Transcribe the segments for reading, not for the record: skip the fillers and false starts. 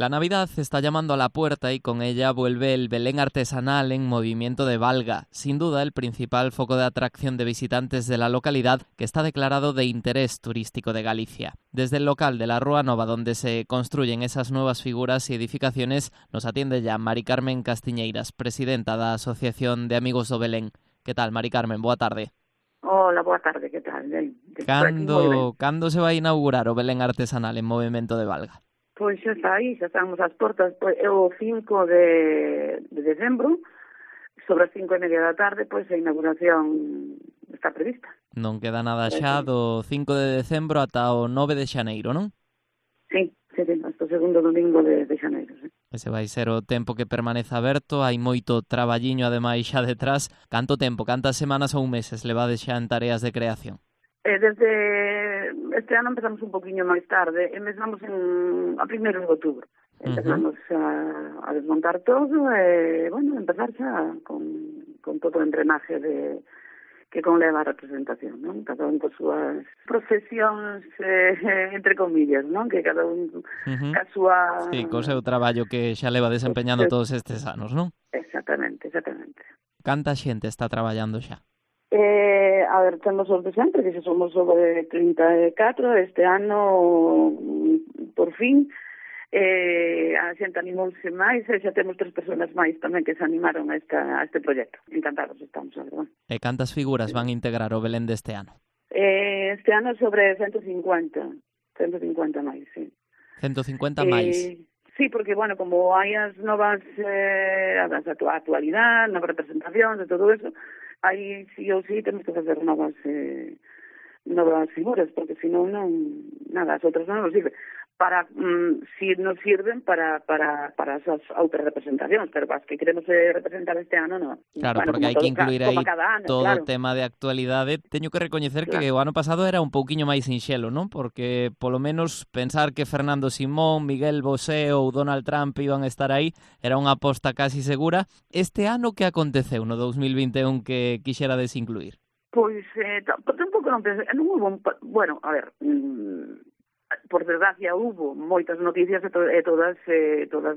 La Navidad está llamando a la puerta y con ella vuelve el Belén artesanal en movimiento de Valga, sin duda el principal foco de atracción de visitantes de la localidad que está declarado de interés turístico de Galicia. Desde el local de la Rúa Nova, donde se construyen esas nuevas figuras y edificaciones, nos atiende ya Mari Carmen Castiñeiras, presidenta da Asociación de Amigos do Belén. Que tal, Mari Carmen? Boa tarde. Hola, boa tarde, que tal? Cando se vai inaugurar o Belén artesanal en movimento de Valga? Pois xa está aí, xa estamos ás portas, pois, é o 5 de decembro, sobre as 5:30 da tarde, pois a inauguración está prevista. Non queda nada xa do 5 de decembro ata o 9 de xaneiro, non? Sí, hasta o segundo domingo de xaneiro, sí. Ese vai ser o tempo que permanece aberto, hai moito traballiño ademais xa detrás. Canto tempo, cantas semanas ou meses levades xa en tareas de creación? Desde este ano empezamos un poquinho máis tarde, empezamos a 1 de outubro. Empezamos a desmontar todo e, bueno, empezar xa con todo o entrenaje que conleva a representación, non? Cada un con súas profesións, entre comillas, non? Que cada un ca súa... Sí, co seu traballo que xa leva desempeñando todos estes anos, non? Exactamente. Canta xente está traballando xa? A ver, temos os de sempre, que xa somos sobre 34, este ano, por fin, a xente animouse máis, e xa temos 3 personas máis tamén que se animaron a este proxecto. Encantados estamos, a verdade. E cantas figuras van a integrar o Belén deste ano? Este ano sobre 150 máis, sí. 150 máis? Sí, porque, bueno, como hai as novas, a actualidade, novas representacións e todo eso, aí sí ou sí temos que facer novas figuras, porque senón non, nada, as outras non nos sirve. Si nos sirven para as outras representacións, pero as que queremos representar este ano, non. Claro, bueno, porque hai que incluir aí todo o tema de actualidade. Teño que recoñecer que o ano pasado era un pouquiño máis sinxelo, non? Porque, polo menos, pensar que Fernando Simón, Miguel Bosé ou Donald Trump iban a estar aí era unha aposta casi segura. Este ano que aconteceu no 2021 que quixerades incluir? Pois, tampouco non pensei, non hubo, bueno, a ver, por desgracia hubo moitas noticias e todas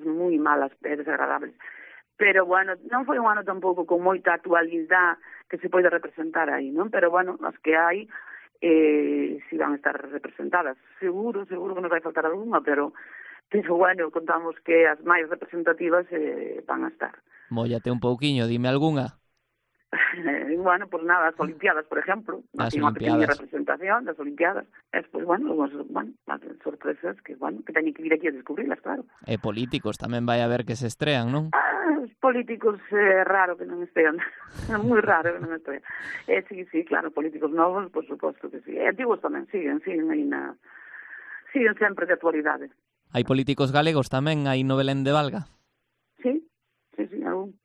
moi malas e desagradables. Pero, bueno, non foi un ano tampouco con moita actualidade que se pode representar aí, non? Pero, bueno, as que hai si van a estar representadas. Seguro que nos vai faltar algunha, pero bueno, contamos que as máis representativas van a estar. Móllate un pouquiño, dime algunha. Bueno, pues nada, as Olimpiadas, por exemplo, así unha pequena representación das Olimpiadas. Despois, bueno, as sorpresas que teñen que vir aquí a descubrilas, claro. E políticos tamén vai haber que se estrean, non? Os políticos é raro que non estean, é moi raro que non estean. Sí, claro, políticos novos, por suposto que sí. Antigos tamén siguen aí siguen sempre de actualidade. Hai políticos galegos tamén aí no Belén de Valga? Sí, algún.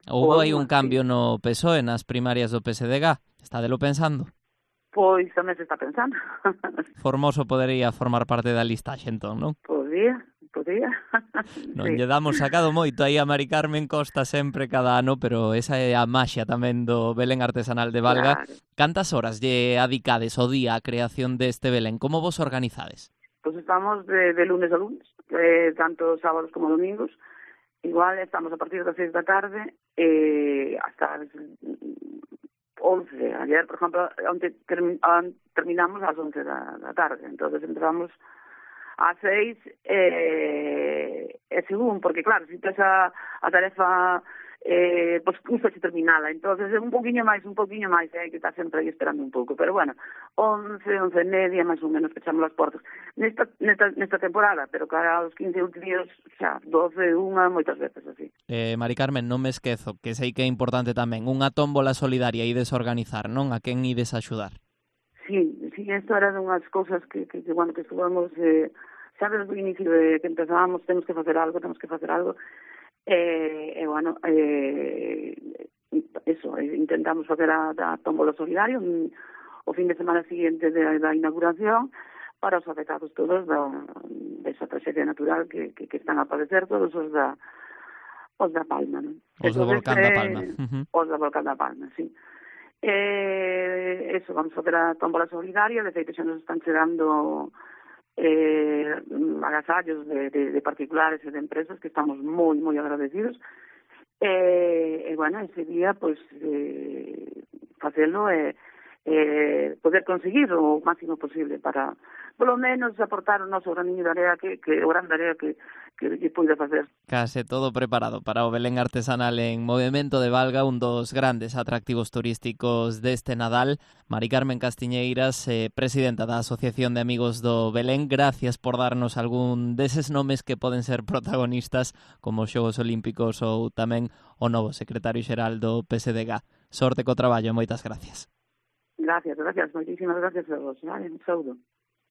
Houbo aí un cambio no PSOE nas primarias do PSDG. Estádelo pensando? Pois tamén se está pensando. Formoso podería formar parte da listaxe, entón, non? Podía. Non lle damos sacado moito aí a Mari Carmen Costa sempre cada ano, pero esa é a maxia tamén do Belén artesanal de Valga. Claro. Cantas horas lle adicades o día á creación deste Belén? Como vos organizades? Pois estamos de lunes a lunes, tanto sábados como domingos. Igual estamos a partir das 6 da tarde hasta as 11. Ayer, por exemplo, onde terminamos ás 11 da tarde. Entonces empezamos ás 6 según, porque claro, se tes a tarefa pois custa se terminala, entonces é un poquinho máis, hai que estar sempre aí esperando un pouco, pero bueno, 11:30 máis ou menos pechamos as portas nesta temporada, pero cara aos 15 últimos xa 12, 1, moitas veces así. Mari Carmen, non me esquezo, que sei que é importante tamén, unha tómbola solidaria ides organizar, non? A quen ides axudar? Sí, isto era dunhas cousas que estuvamos, xa desde o inicio que empezábamos, temos que facer algo, bueno, intentamos facer a tómbola solidaria o fin de semana siguiente da inauguración para os afectados todos desa traxedia natural que están a padecer, todos os da Palma, non? Os do Volcán da Palma. Os do Volcán da Palma, sí. Vamos facer a tómbola solidaria, de feito xa nos están chegando agasallos de particulares e de empresas que estamos moi agradecidos. Bueno, ese día, pois, facelo e poder conseguir o máximo posible para, polo menos, aportar o noso graniño de area que o gran area que poida facer. Case todo preparado para o Belén artesanal en movemento de Valga, un dos grandes atractivos turísticos deste Nadal. Mari Carmen Castiñeiras, presidenta da Asociación de Amigos do Belén, gracias por darnos algún deses nomes que poden ser protagonistas como os Xogos Olímpicos ou tamén o novo secretario xeral do PSDG. Sorte co traballo, moitas gracias. Gracias, moitísimas gracias a vos. Vale, un saúdo.